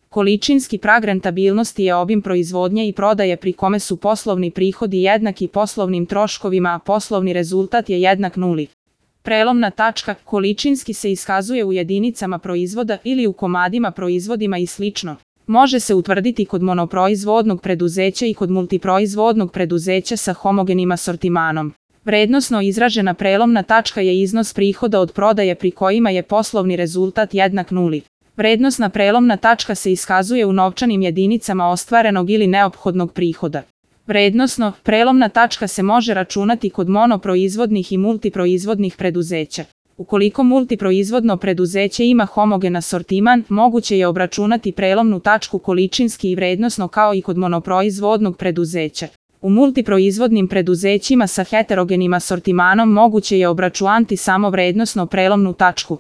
Količinski prag rentabilnosti je obim proizvodnje i prodaje pri kome su poslovni prihodi jednaki poslovnim troškovima, a poslovni rezultat je jednak nuli. Prelomna tačka količinski se iskazuje u jedinicama proizvoda ili u komadima proizvodima i sl. Može se utvrditi kod monoproizvodnog preduzeća i kod multiproizvodnog preduzeća sa homogenim asortimanom. Vrednosno izražena prelomna tačka je iznos prihoda od prodaje pri kojima je poslovni rezultat jednak nuli. Vrednosna prelomna tačka se iskazuje u novčanim jedinicama ostvarenog ili neophodnog prihoda. Vrednosno, prelomna tačka se može računati kod monoproizvodnih i multiproizvodnih preduzeća. Ukoliko multiproizvodno preduzeće ima homogen asortiman, moguće je obračunati prelomnu tačku količinski i vrednosno kao i kod monoproizvodnog preduzeća. U multiproizvodnim preduzećima sa heterogenim asortimanom moguće je obračunati samo vrednosno prelomnu tačku.